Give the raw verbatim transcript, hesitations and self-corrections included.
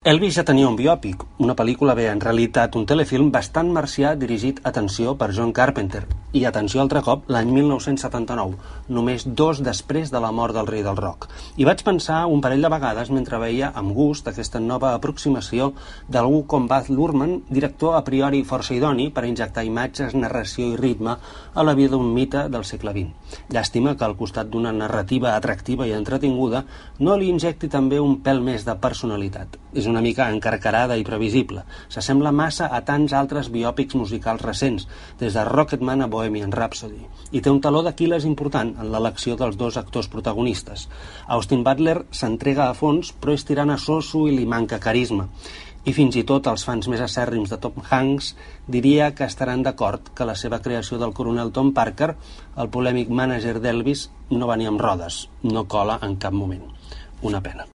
Elvis ja tenia un biòpic, una pel·lícula bé, en realitat un telefilm bastant marcià dirigit, atenció, per John Carpenter. I atenció altre cop, l'any mil nou-cents setanta-nou, només dos després de la mort del rei del rock. I vaig pensar un parell de vegades mentre veia amb gust aquesta nova aproximació d'algú com Baz Luhrmann, director a priori força idoni per injectar imatges, narració i ritme a la vida d'un mite del segle vint. Llàstima que al costat d'una narrativa atractiva i entretinguda no li injecti també un pèl més de personalitat. És una mica encarcarada i previsible. S'assembla massa a tants altres biòpics musicals recents, des de Rocketman a Bohemian Rhapsody, i té un taló d'Aquil·les important en l'elecció dels dos actors protagonistes. Austin Butler s'entrega a fons, però és tirant a soso i li manca carisma. I fins i tot els fans més acèrrims de Tom Hanks diria que estaran d'acord que la seva creació del coronel Tom Parker, el polèmic mànager d'Elvis, no va ni amb rodes, no cola en cap moment. Una pena.